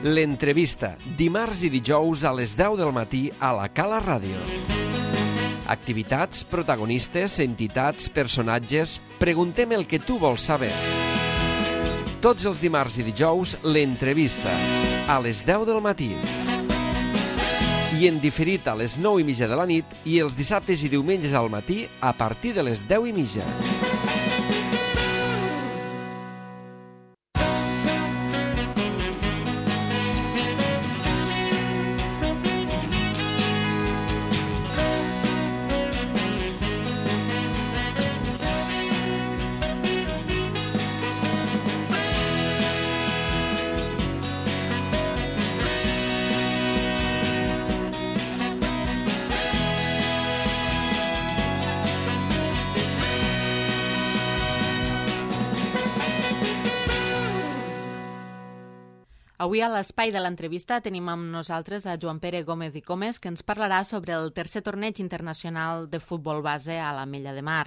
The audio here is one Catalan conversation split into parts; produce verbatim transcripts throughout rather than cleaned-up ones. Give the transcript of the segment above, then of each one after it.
L'entrevista, dimarts i dijous a les deu del matí a la Cala Ràdio. Activitats, protagonistes, entitats, personatges... Preguntem el que tu vols saber. Tots els dimarts i dijous, l'entrevista, a les deu del matí. I en diferit a les nou i mitja de la nit i els dissabtes i diumenges al matí a partir de les deu i mitja. Avui a l'espai de l'entrevista tenim amb nosaltres a Joan Pere Gómez i Comes, que ens parlarà sobre el tercer torneig internacional de futbol base a l'Ametlla de Mar.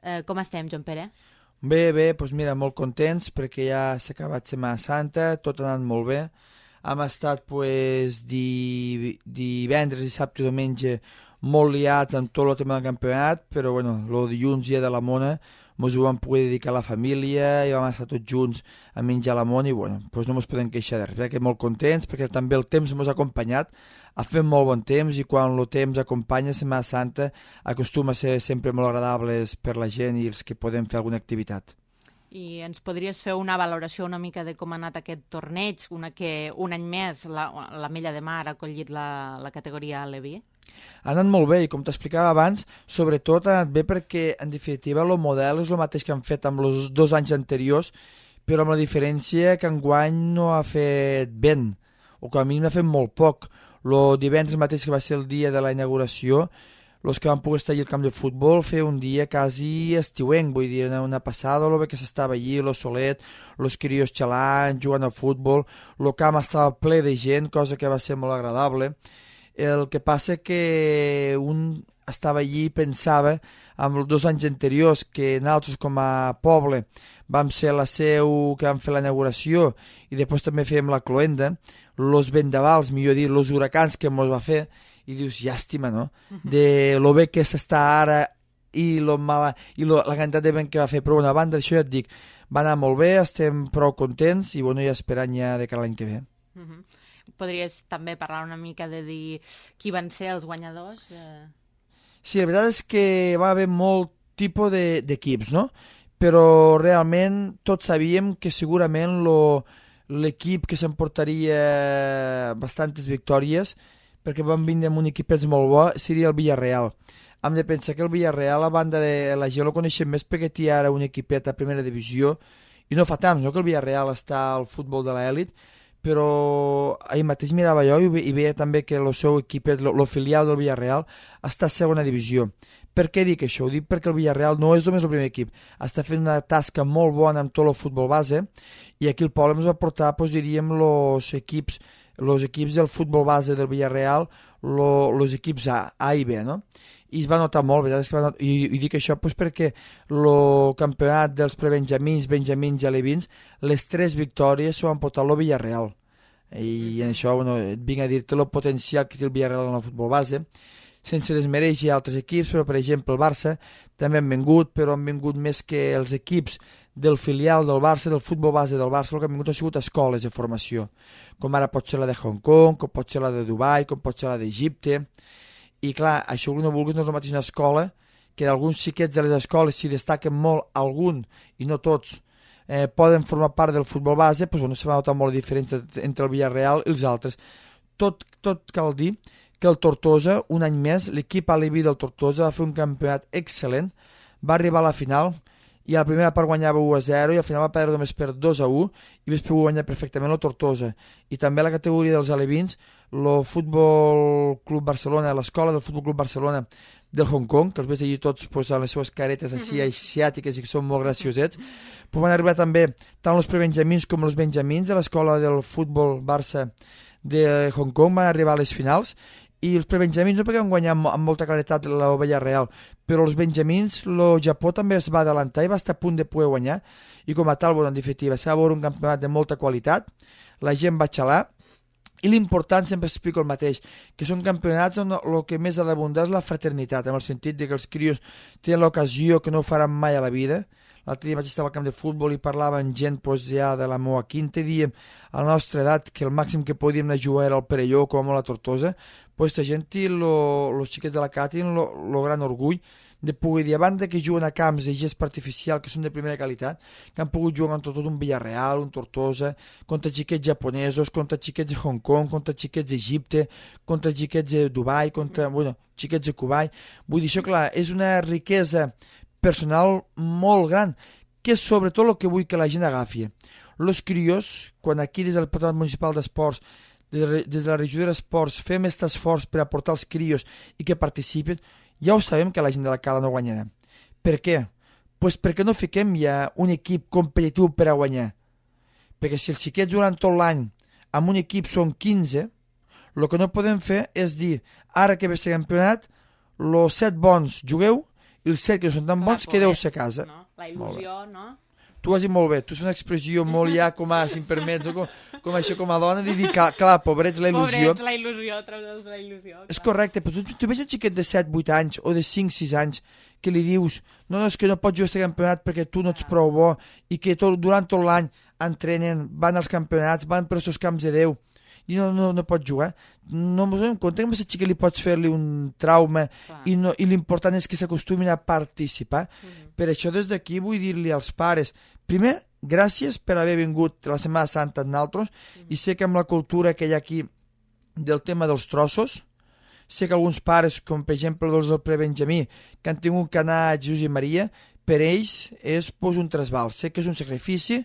Eh, com estem, Joan Pere? Bé, bé, doncs mira, molt contents perquè ja s'ha acabat Setmana Santa, tot ha anat molt bé. Hem estat pues, di, divendres, dissabte i diumenge molt liats en tot el tema del campionat, però bueno, el dilluns dia de la Mona ens ho vam poder dedicar a la família i vam estar tots junts a menjar la mona i bueno, doncs no ens podem queixar de res, perquè molt contents, perquè també el temps ens ha acompanyat, ha fet molt bon temps i quan el temps acompanya Setmana Santa acostuma a ser sempre molt agradables per la gent i els que podem fer alguna activitat. I ens podries fer una valoració una mica de com ha anat aquest torneig, una que un any més l'Ametlla de Mar ha acollit la, la categoria Levi? Ha anat molt bé i com t'explicava abans, sobretot ha anat bé perquè en definitiva el model és el mateix que han fet amb els dos anys anteriors, però amb la diferència que enguany no ha fet vent, o com a mínim ha fet molt poc. El divendres mateix que va ser el dia de la inauguració, els que van poder estar allà al camp de futbol fer un dia quasi estiuenc, vull dir, una passada, el bé que s'estava allí, el solet, els crios xalant, jugant a futbol, el camp estava ple de gent, cosa que va ser molt agradable. El que passa que un estava allí i pensava amb els dos anys anteriors que nosaltres com a poble vam ser la seu que vam fer la inauguració i després també fèiem la cloenda, els vendavals, millor dir, els huracans que ens va fer, i dius, llàstima, no? De lo bé que s'està ara i, lo mala, i lo, la quantitat de vent que va fer, però una banda, això ja et dic, va anar molt bé, estem prou contents i bueno, ja esperant ja de cara l'any que ve. Uh -huh. Podries també parlar una mica de dir qui van ser els guanyadors? Eh... Sí, la veritat és que va haver molt tipus d'equips, no? Però realment tots sabíem que segurament l'equip que s'emportaria bastantes victòries, perquè van vindre amb un equipet molt bo, seria el Villarreal. Hem de pensar que el Villarreal, a banda de la gent, el coneixem més perquè té ara un equipet a primera divisió, i no fa temps, no?, que el Villarreal està al futbol de l'elit, però ahir mateix mirava jo i veia també que el seu equipet, el filial del Villarreal, està a segona divisió. Per què dic això? Ho dic perquè el Villarreal no és només el primer equip, està fent una tasca molt bona amb tot el futbol base, i aquí el poble ens va portar, doncs, diríem, els equips els equips del futbol base del Villarreal, els equips A, A i B, no? I es va notar molt, veritat? Que va notar, i, i dic això doncs, perquè el campionat dels prebenjamins, benjamins i alevins, les tres victòries s'ho van portar el Villarreal. I en això bueno, vinc a dir-te el potencial que té el Villarreal en el futbol base, sense desmereixer altres equips, però per exemple el Barça també han vingut, però han vingut més que els equips del filial del Barça, del futbol base del Barça, el que han vingut han sigut escoles de formació, com ara pot ser la de Hong Kong, com pot ser la de Dubai, com pot ser la d'Egipte. I clar, això no vulguis, no és la mateixa escola, que d'alguns xiquets de les escoles, si destaquen molt algun, i no tots, eh, poden formar part del futbol base, doncs bueno, se va notar molt diferent entre el Villarreal i els altres. Tot, tot cal dir que el Tortosa, un any més, l'equip aleví del Tortosa va fer un campionat excel·lent, va arribar a la final, i a la primera part guanyava u a zero i al final va perdre només per dos a u i després va guanyar perfectament el Tortosa. I també a la categoria dels alevins, el Futbol Club Barcelona, l'escola del Futbol Club Barcelona del Hong Kong, que els veig allí tots pues, amb les seves caretes així asiàtiques i que són molt graciosets, pues van arribar també tant els prebenjamins com els benjamins de l'escola del Futbol Barça de Hong Kong, van arribar a les finals i els prebenjamins no perquè van guanyar amb, amb molta claretat la Villarreal, però els benjamins, el Japó també es va adelantar i va estar a punt de poder guanyar, i com a tal, bueno, en definitiva, s'ha va veure un campionat de molta qualitat, la gent va xalar, I l'important, sempre explico el mateix, que són campionats on el que més ha d'abundar és la fraternitat, en el sentit de que els crios tenen l'ocasió que no ho faran mai a la vida. L'altre dia vaig estar al camp de futbol i parlava amb gent pues, ja de la meva quinta i diem a la nostra edat que el màxim que podíem anar a jugar era el Perelló com a la Tortosa. Pues, esta gent i els xiquets de la Cati tenen el gran orgull de poder dir, a banda que juguen a camps de gespa artificial que són de primera qualitat, que han pogut jugar contra tot un Villarreal, un Tortosa, contra xiquets japonesos, contra xiquets de Hong Kong, contra xiquets d'Egipte, contra xiquets de Dubai, contra, bueno, xiquets de Kuwait. Vull dir, això, clar, és una riquesa personal molt gran, que és sobretot el que vull que la gent agafi. Els crios, quan aquí des del Patronat Municipal d'Esports, des de la regió d'Esports, fem aquest esforç per aportar els crios i que participen, ja ho sabem que la gent de la Cala no guanyarà. Per què? Pues perquè no fiquem ja un equip competitiu per a guanyar. Perquè si els xiquets durant tot l'any amb un equip són quinze, el que no podem fer és dir, ara que ve ser campionat, els set bons jugueu i els set que no són tan bons quedeu-se a casa. No? La il·lusió, no? Tu ho has dit molt bé, tu és una expressió molt ja com a, si em permets, com, com això com a dona, de dir, clar, clar pobrets, la il·lusió. Pobrets, la il·lusió, treure'ls la il·lusió. Clar. És correcte, però tu, tu veus un xiquet de set vuit anys o de cinc sis anys que li dius, no, no, és que no pots jugar a aquest campionat perquè tu no ets prou bo i que tot, durant tot l'any entrenen, van als campionats, van per aquests camps de Déu i no, no, no pots jugar. No ens donem compte que a aquest xiquet li pots fer-li un trauma i, no, i l'important és que s'acostumin a participar. Mm-hmm. Per això des d'aquí vull dir-li als pares, primer, gràcies per haver vingut la Setmana Santa amb nosaltres mm-hmm. i sé que amb la cultura que hi ha aquí del tema dels trossos, sé que alguns pares, com per exemple els del Prebenjamí, que han tingut que anar a Jesús i Maria, per ells és pues, un trasbal. Sé que és un sacrifici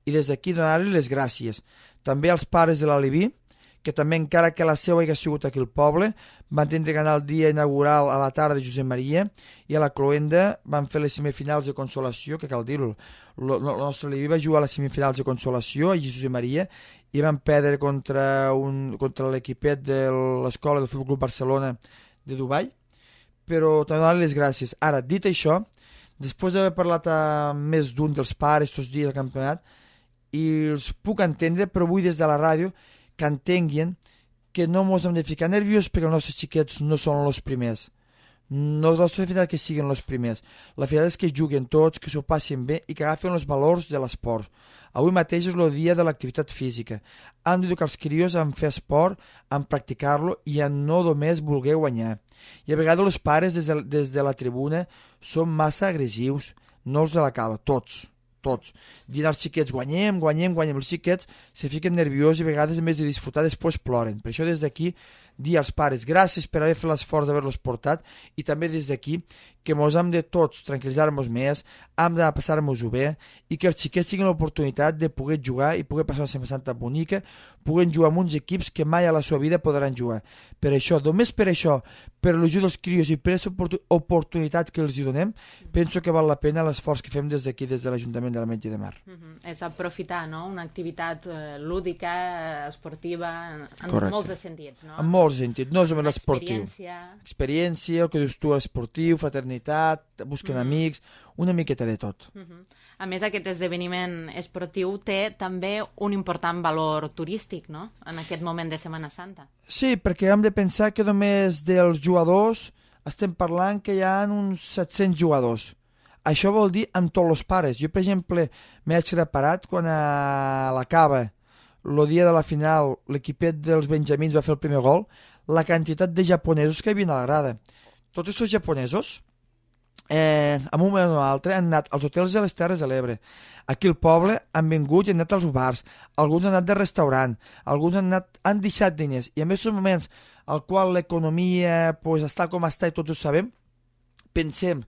i des d'aquí donar-li les gràcies. També als pares de l'Aliví, que també encara que la seva hagués sigut aquí al poble, van tindre que anar el dia inaugural a la tarda de Josep Maria i a la Cloenda van fer les semifinals de consolació, que cal dir-ho, el nostre Leví va jugar a les semifinals de consolació a Josep Maria i van perdre contra, un, contra l'equipet de l'Escola del Futbol Club Barcelona de Dubai, però també donar les gràcies. Ara, dit això, després d'haver parlat amb més d'un dels pares tots dies al campionat, i els puc entendre, però vull des de la ràdio que entenguin que no ens hem de ficar nerviós perquè els nostres xiquets no són els primers. No és la nostra finalitat que siguin els primers. La finalitat és que juguen tots, que s'ho passin bé i que agafen els valors de l'esport. Avui mateix és el dia de l'activitat física. Hem d'educar els crios en fer esport, en practicar-lo i en no només voler guanyar. I a vegades els pares des de, des de la tribuna són massa agressius, no els de la Cala, tots. tots. Dient als xiquets, guanyem, guanyem, guanyem. Els xiquets se fiquen nerviosos i a vegades, en vez de disfrutar, després ploren. Per això, des d'aquí, dir als pares gràcies per haver fet l'esforç d'haver-los portat i també des d'aquí que mos hem de tots tranquil·litzar-nos més, hem de passar-nos-ho bé i que els xiquets tinguin l'oportunitat de poder jugar i poder passar una Setmana Santa bonica, puguen jugar amb uns equips que mai a la seva vida podran jugar. Per això, només per això, per l'il·lusió dels crios i per aquesta oportunitat que els hi donem, penso que val la pena l'esforç que fem des d'aquí, des de l'Ajuntament de l'Ametlla de Mar. Mm-hmm. És aprofitar, no?, una activitat eh, lúdica, eh, esportiva, en, en molts de sentits, no? En molts sentits, no és només l'esportiu. Experiència. Experiència, el que dius tu, l'esportiu, fraternitat, busquen mm-hmm. amics, una miqueta de tot. Mm-hmm. A més, aquest esdeveniment esportiu té també un important valor turístic, no?, en aquest moment de Setmana Santa. Sí, perquè hem de pensar que només dels jugadors estem parlant que hi ha uns set-cents jugadors. Això vol dir amb tots els pares. Jo, per exemple, m'he quedat parat quan a la Cava, el dia de la final, l'equipet dels benjamins va fer el primer gol, la quantitat de japonesos que hi havia a la grada. Tots aquests japonesos, eh, en un moment o altre, han anat als hotels de les Terres de l'Ebre. Aquí al poble han vingut i han anat als bars, alguns han anat de restaurant, alguns han, anat, han deixat diners. I en aquests moments, al qual l'economia pues, està com està i tots ho sabem, pensem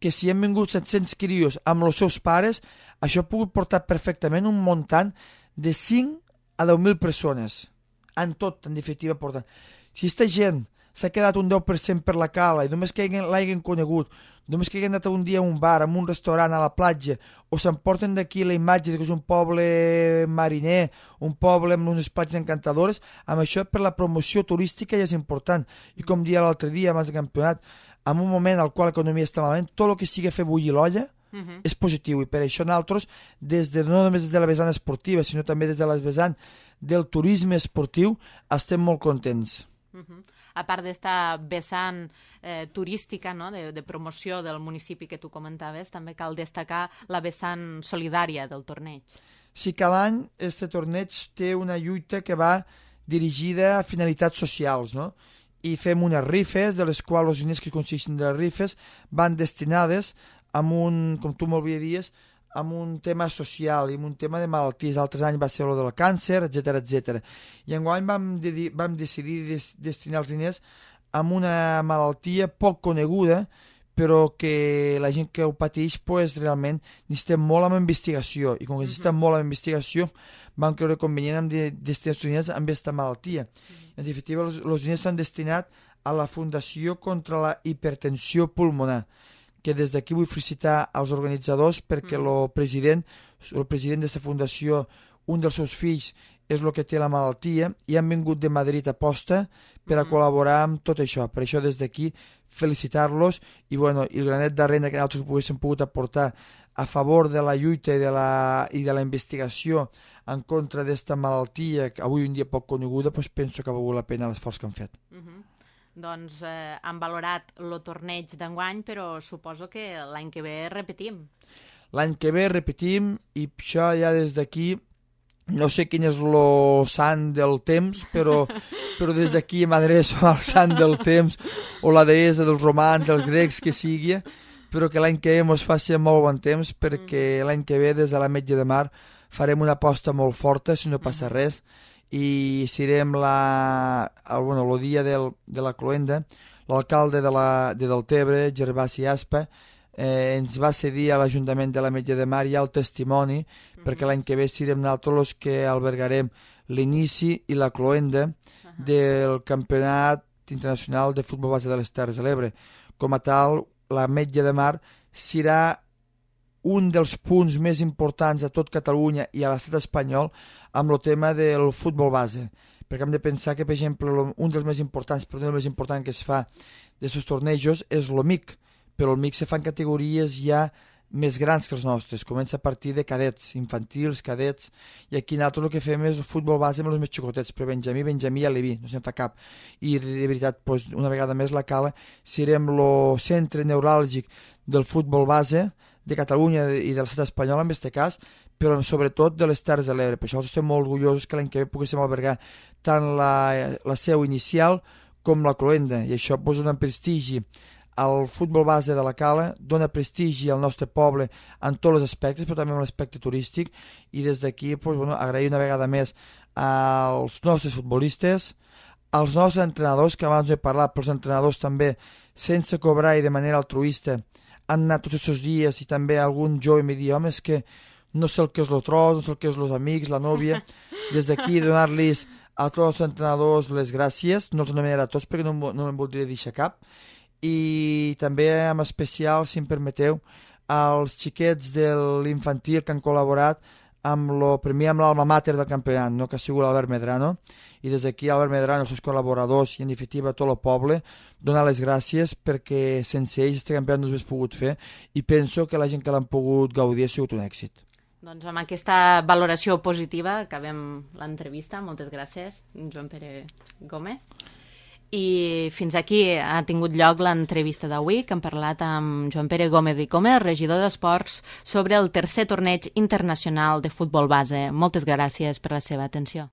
que si hem vingut set-cents crios amb els seus pares, això ha pogut portar perfectament un muntant de cinc a deu mil persones. En tot, en definitiva, porta. Si aquesta gent s'ha quedat un deu per cent per la Cala i només que l'hagin conegut, només que hagin anat un dia a un bar, a un restaurant, a la platja, o s'emporten d'aquí la imatge de que és un poble mariner, un poble amb unes platges encantadores, amb això per la promoció turística ja és important. I com dia l'altre dia, abans del campionat, en un moment al qual l'economia està malament, tot el que sigui fer bullir l'olla uh-huh. és positiu, i per això nosaltres, des de, no només des de la vessant esportiva, sinó també des de la vessant del turisme esportiu, estem molt contents. Uh-huh. A part d'esta vessant eh, turística, no? de, de promoció del municipi que tu comentaves, també cal destacar la vessant solidària del torneig. Sí, cada any este torneig té una lluita que va dirigida a finalitats socials, no? I fem unes rifes, de les quals els diners que consisteixen de les rifes van destinades a un, com tu molt bé dius, amb un tema social i amb un tema de malalties. Altres anys va ser el del càncer, etcètera, etcètera. I enguany vam, de, vam decidir des, destinar els diners a una malaltia poc coneguda, però que la gent que ho pateix pues, realment necessita molt amb investigació, i com que necessita uh-huh. molt amb investigació vam creure convenient amb de, destinar els diners amb aquesta malaltia. Uh-huh. En definitiva, els, els diners s'han destinat a la Fundació contra la Hipertensió Pulmonar, que des d'aquí vull felicitar als organitzadors perquè el president, el president d'aquesta fundació, un dels seus fills és el que té la malaltia, i han vingut de Madrid a posta per a col·laborar amb tot això. Per això des d'aquí felicitar-los i, bueno, i el granet de renda que nosaltres poguéssim pogut aportar a favor de la lluita i de la, i de la investigació en contra d'esta malaltia que avui en dia poc coneguda, doncs penso que ha valgut la pena l'esforç que han fet. Uh-huh. Doncs eh, han valorat el torneig d'enguany, però suposo que l'any que ve repetim. L'any que ve repetim, i això ja des d'aquí, no sé quin és el sant del temps, però, però des d'aquí m'adreço al sant del temps, o la deessa dels romans, dels grecs, que sigui, però que l'any que ve ens faci molt bon temps, perquè l'any que ve des de l'Ametlla de Mar farem una aposta molt forta, si no passa res, i serem la, el, bueno, el dia del, de la cloenda. L'alcalde de, la, de Deltebre, Gervasi Aspa, eh, ens va cedir a l'Ajuntament de l'Ametlla de Mar ja el testimoni, uh-huh. perquè l'any que ve serem nosaltres els que albergarem l'inici i la cloenda uh-huh. del Campionat Internacional de Futbol Base de les Terres de l'Ebre. Com a tal, l'Ametlla de Mar serà un dels punts més importants a tot Catalunya i a l'estat espanyol amb el tema del futbol base, perquè hem de pensar que, per exemple, un dels més importants, però un dels més importants que es fa d'aquests tornejos és l'O M I C, però el M I C se fan categories ja més grans que els nostres, comença a partir de cadets, infantils, cadets, i aquí nosaltres el que fem és el futbol base amb els més xicotets, però Benjamí, Benjamí i Aleví, no se'n fa cap. I de veritat, doncs, una vegada més la Cala, serem el centre neuràlgic del futbol base de Catalunya i de l'estat espanyol en aquest cas, però sobretot de les Terres de l'Ebre. Per això estem molt orgullosos que l'any que ve poguéssim albergar tant la, la seu inicial com la cloenda, i això pues, dona prestigi al futbol base de la Cala, dona prestigi al nostre poble en tots els aspectes, però també en l'aspecte turístic, i des d'aquí pues, bueno, agrair una vegada més als nostres futbolistes, als nostres entrenadors, que abans he parlat, però els entrenadors també, sense cobrar i de manera altruista, han anat tots aquests dies, i també algun jove em diu, home, és que no sé el que és el tros, no sé el que és els amics, la nòvia. Des d'aquí donar-los a tots els entrenadors les gràcies, no els anomenaré a tots perquè no, no me'n voldria deixar cap, i també en especial, si em permeteu, als xiquets de l'infantil que han col·laborat amb lo, primer amb l'alma mater del campionat, no? Que ha sigut l'Albert Medrano, i des d'aquí Albert Medrano, els seus col·laboradors i en definitiva tot el poble, donar les gràcies perquè sense ells este campionat no s'hagués pogut fer, i penso que la gent que l'han pogut gaudir ha sigut un èxit. Doncs amb aquesta valoració positiva acabem l'entrevista. Moltes gràcies, Joan Pere Gómez. I fins aquí ha tingut lloc l'entrevista d'avui, que hem parlat amb Joan Pere Gómez i Gómez, regidor d'Esports, sobre el tercer torneig internacional de futbol base. Moltes gràcies per la seva atenció.